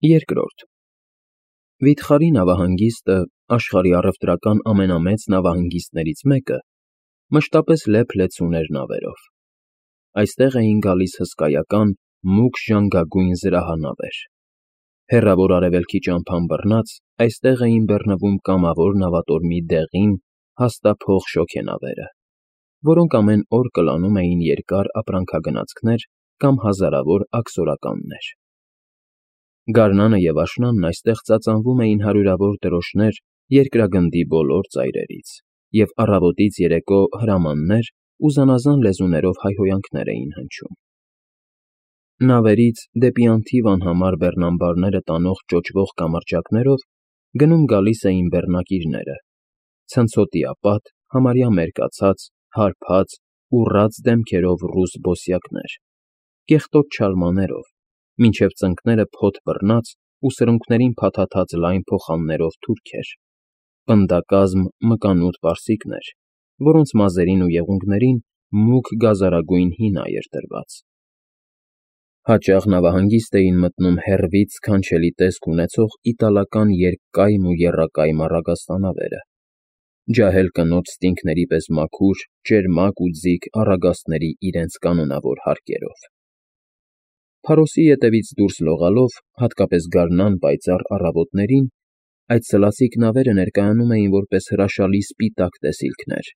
Երկրորդ Վիթխարի նավահանգիստը, աշխարհի առևտրական ամենամեծ նավահանգիստներից մեկը, մշտապես լեփ-լեցուն էր նավերով. այստեղ էին գալիս հսկայական, մուգ ժանգագույն զրահանավեր. հեռավոր Արևելքի ճամփան բռնած, այստեղ էին բեռնվում կամավոր նավատորմի դեղին, հաստափող շոգենավերը, որոնք ամեն օր կլանում էին երկար ապրանքագնացքներ կամ հազարավոր աքսորականներ։ Գարնանը և աշնանն այստեղ ծածանվում էին հարյուրավոր դրոշներ երկրագնդի բոլոր ծայրերից, և առավոտից երեկո հրամաններ ու զանազան լեզուներով հայհոյանքներ էին հնչում։ Նավերից դեպի անթիվ անհամար բեռնամբարները տանող ճոճվող կամրջակներով գնում֊գալիս էին բեռնակիրները, ցնցոտիապատ, համարյա մերկացած, հարբած, ուռած դեմքերով ռուս բոսյակներ, կեղտոտ չալմաներով, մինչև ծնկները փոթ բռնած ու սրունքներին փաթաթած լայն փոխաններով թուրքեր, պնդակազմ մկանուտ պարսիկներ, որոնց մազերին ու եղունգներին մուգ գազարագույն հինա էր դրված։ Հաճախ նավահանգիստ էին մտնում հեռվից սքանչելի տեսք ունեցող իտալական երկկայմ ու եռակայմ առագաստանավերը, ջահել կնոջ ստինգների պես մաքուր, ճերմակ ու ձիգ առագաստների իրենց կանոնավոր հարկերով։ Փարոսի ետևից դուրս լողալով, հատկապես գարնան պայծառ առավոտներին, այդ սլացիկ նավերը ներկայանում էին որպես հրաշալի սպիտակ տեսիլքներ,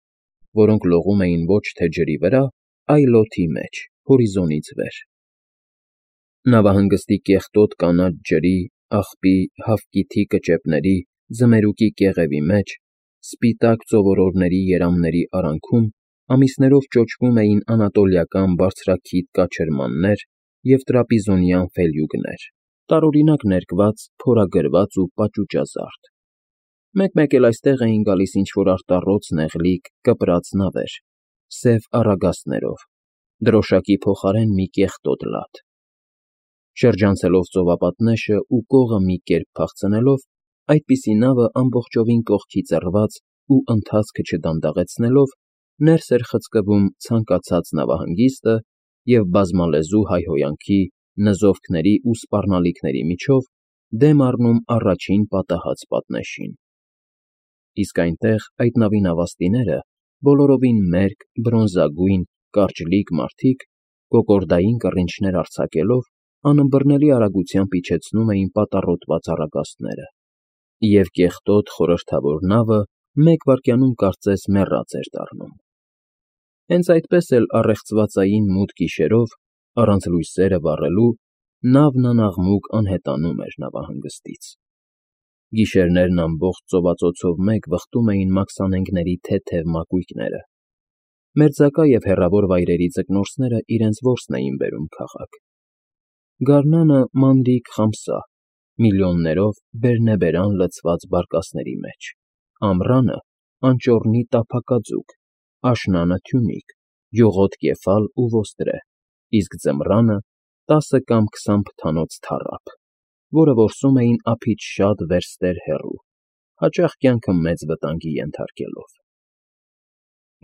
որոնք լողում էին ոչ թե ջրի վրա, այլ օդի մեջ, հորիզոնից վեր։ Նավահանգստի կեղտոտ կանաչ ջրի, աղբի, հավկիթի կճեպների, ձմերուկի կեղևի մեջ, սպիտակ ծովորորների երամների արանքում ամիսներով ճոճվում էին անատոլիական բարձրաքիթ կաչերմաններ և տրապիզոնյան ֆելյուկներ, տարօրինակ ներկված, փորագրված ու պաճուճազարդ։ Մեկ-մեկ էլ այստեղ էին գալիս ինչ֊որ արտառոց նեղլիկ, կպրած նավեր, սև առագաստներով, դրոշակի փոխարեն մի կեղտոտ լադ։ Շրջանցելով ծովապատնեշն ու կողը մի կերպ փախցնելով, այդպիսի նավը ամբողջովին կողքի ծռված ու ընթացքը չդանդաղեցնելով, ներս էր խցկվում ցանկացած նավահանգիստը և բազմալեզու հայհոյանքի, նզովքների ու սպառնալիքների միջով դեմ առնում առաջին պատահած պատնեշին։ Իսկ այնտեղ այդ նավի նավաստիները, բոլորովին մերկ, բրոնզագույն, կարճլիկ մարդիկ, կոկորդային կռինչներ արձակելով, անըմբռնելի արագությամբ իջեցնում էին պատառոտված առագաստները, և կեղտոտ խորհրդավոր նավը մեկ վայրկյանում կարծես մեռած էր դառնում։ Հենց այդպես էլ առեղծվածային մութ գիշերով, առանց լույսերը վառելու, նավն անաղմուկ անհետանում էր նավահանգստից։ Գիշերներն ամբողջ ծովածոցով մեկ վխտում էին մաքսանենգների թեթև մակույկները։ Մերձակա և հեռավոր վայրերի ձկնորսները իրենց որսն էին բերում քաղաք։ Գարնանը մանրիկ խամսա, միլիոններով բերնեբերան լցված բարկասների մեջ, ամռանը անճոռնի տափակաձուկ, աշնանը թյունիկ, յուղոտ կեֆալ ու ոստրե, իսկ ձմռանը 10 կամ 20 փթանոց թառափ, որը որսում էին ափից շատ վերստեր հեռու, հաճախ կյանքը մեծ վտանգի ենթարկելով։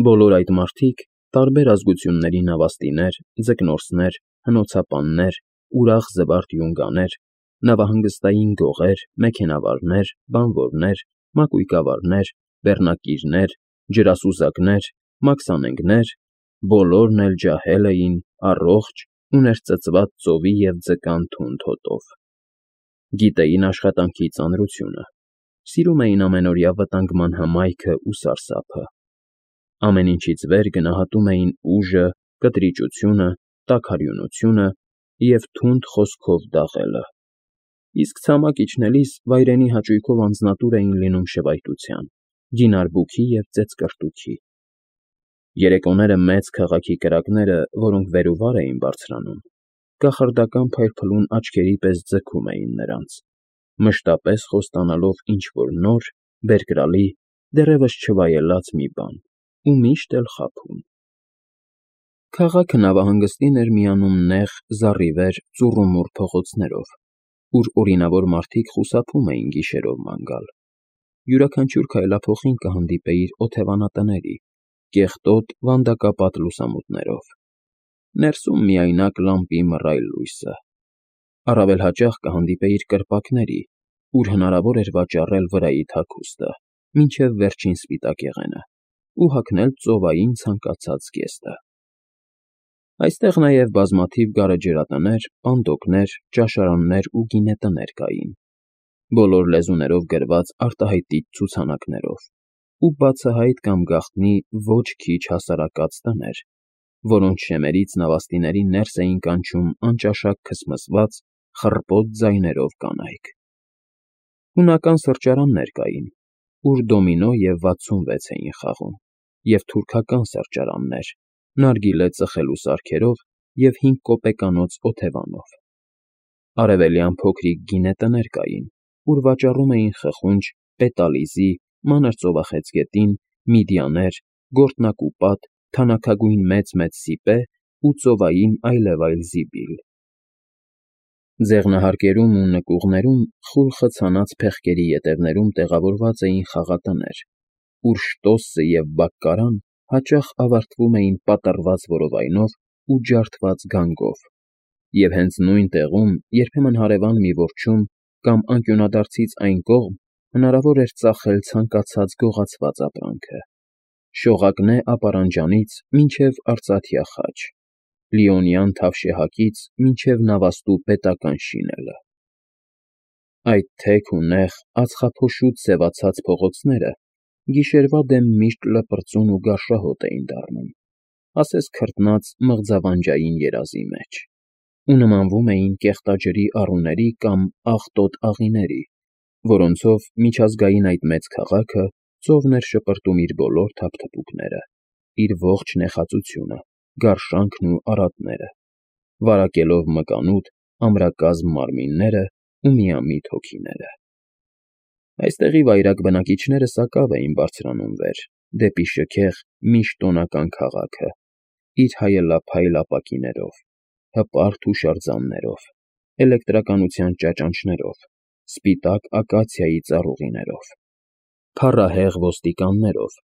Բոլոր այդ մարդիկ, տարբեր ազգությունների նավաստիներ, ձկնորսներ, հնոցապաններ, ուրախ զվարթ յունգաներ, նավահանգստային գողեր, մեքենավարներ, բանվորներ, մակույկավարներ, բեռնակիրներ, ջրասուզակներ, մաքսանենգներ, բոլորն էլ ջահել էին, առողջ ու ներծծված ծովի և ձկան թունդ հոտով։ Գիտեին աշխատանքի ծանրությունը, սիրում էին ամենօրյա վտանգման հմայքը ու սարսափը։ Ամեն ինչից վեր գնահատում էին ուժը, կտրիճությունը, տաքարյունությունը և թունդ խոսքով դաղելը, իսկ ցամաք իջնելիս վայրենի հաճույքով անձնատուր էին լինում շվայտության, ջինարբուքի և ծեծկռտուքի։ Երեկոները մեծ քաղաքի կրակները, որոնք վեր ու վար էին բարձրանում, կախարդական փայլփլուն աչքերի պես ձգում էին նրանց, մշտապես խոստանալով ինչ֊որ նոր, բերկրալի, դեռևս չվայելած մի բան ու միշտ էլ խաբում։ Քաղաքը նավահանգստին էր միանում նեղ, զառիվեր, ծուռումուռ փողոցներով, ուր օրինավոր մարդիկ խուսափում էին գիշերով ման գալ։ Յուրաքանչյուր քայլափոխին կհանդիպեիր օթևանատների, կեղտոտ վանդակապատ լուսամուտներով, ներսում միայնակ լամպի մռայլ լույսը։ Առավել հաճախ կհանդիպեիր կրպակների, ուր հնարավոր էր վաճառել վրայի թաքուստը, մինչև վերջին սպիտակ եղենը, ու հագնել ծովային ցանկացած զգեստը։ Այստեղ նաև բազմաթիվ գարեջրատներ, պանդոկներ, ճաշարաններ ու գինետներ կային, բոլոր լեզուներով գրված արտահայտիչ ցուցանակներով, ու բացահայտ կամ գաղտնի ոչ քիչ հասարակած տներ, որոնց շեմերից նավաստիներին ներս էին կանչում անճաշակ քսմսված, խռպոտ ձայներով կանայք։ Հունական սրճարաններ կային, ուր դոմինո և 66 էին խաղում, և թուրքական սրճարաններ, նարգիլե ծխելու սարքերով և 5 կոպեկանոց օթևանով։ Արևելյան փոքրիկ գինետներ կային, ուր վաճառում էին խխունջ, պետալիզի, մանր ծովախեցգետին, միդիաներ, գործնակուպատ, թանաքագույն մեծ-մեծ սիպե ու ծովային այլևայլ զիբիլ։ Ձեղնահարկերում ու նկուղներում խուլ խցանած փեղկերի ետևներում տեղավորված էին խաղատներ, ուր շտոսը և բակկարան հաճախ ավարտվում էին պատռված որովայնով ու ջարդված գանգով, և հենց նույն տեղում երբեմն հարևան մի որջում կամ անկյունադարձից այն կողմ հնարավոր էր ծախել ցանկացած գողացված ապրանքը՝ շողակնե ապարանջանից մինչև արծաթյա խաչ, լիոնյան թավշյահակից մինչև նավաստու պետական շինելը։ Այդ թեք ու նեղ, ածխափոշուտ սևացած փողոցները գիշերվա դեմ միշտ լպրծուն ու գարշահոտ էին դառնում, ասես քրտնած մղձավանջային երազի մեջ, ու նմանվում էին կեղտաջրի առուների կամ աղտոտ աղիների, որոնցով միջազգային այդ մեծ քաղաքը ծովն էր շպրտում իր բոլոր թափթփուկները, իր ողջ նեխածությունը, գարշանքն ու արատները, վարակելով մկանուտ, ամրակազմ մարմինները ու միամիտ հոգիները։ Այստեղի վայրագ բնակիչները սակավ էին բարձրանում վեր, դեպի շքեղ, միշտ տոնական քաղաքը, իր հայելափայլ ապակիներով, հպարտ հուշարձաններով, էլեկտրականության ճաճանճներով, սպիտակ ակացիայի ծառուղիներով, փառահեղ ոստիկաններով,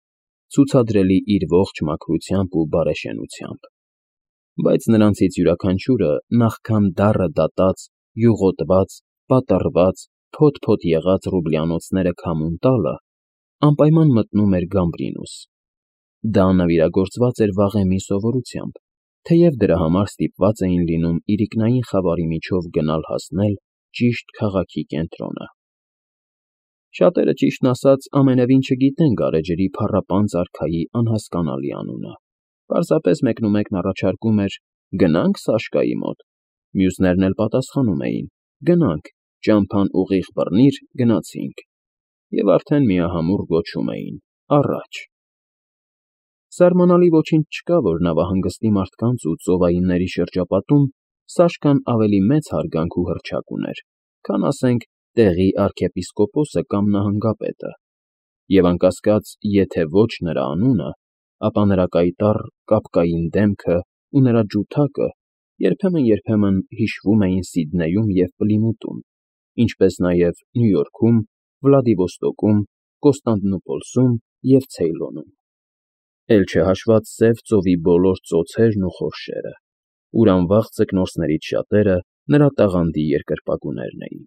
ցուցադրելի իր ողջ մաքրությամբ ու բարեշենությամբ, բայց նրանցից յուրաքանչյուրը նախքան դառը դատած, յուղոտված, պատռված, փոթ-փոթ եղած ռուբլյանոցները քամուն տալը, անպայման մտնում էր Գամբրինուս։ Դա նվիրագործված էր վաղեմի սովորությամբ, թեև դրա համար ստիպված էին լինում իրիկնային խավարի միջով գնալ֊հասնել ճիշտ քաղաքի կենտրոնը։ Շատերը, ճիշտն ասած, ամենևին չգիտեն գարեջրի փառապանծ արքայի անհասկանալի անունը, պարզապես մեկնումեկն առաջարկում էր. «Գնա՞նք Սաշկայի մոտ», մյուսներն էլ պատասխանում էին. «Գնանք, ճամփան ուղիղ բռնիր, գնացինք», և արդեն միահամուռ գոչում էին. «Առաջ»։ Զարմանալի ոչինչ չկա, որ նավահանգստի մարդկանց ու ծովայինների շրջապատում Սաշկան ավելի մեծ հարգանք ու հռչակ ուներ, քան, ասենք, տեղի արքեպիսկոպոսը կամ նահանգապետը, և անկասկած, եթե ոչ նրա անունը, ապա նրա կայտառ, կապկային դեմքը ու նրա ջութակը երբեմն հիշվում էին Սիդնեյում և Պլիմութում, ինչպես նաև Նյու Յորքում, Վլադիվոստոկում, Կոստանդնուպոլսում և Ցեյլոնում, էլ չհաշված Սև ծովի բոլոր ծոցերն ու խորշերը, ուր անվաղ ձկնորսներից շատերը նրա տաղանդի երկրպագուներն էին։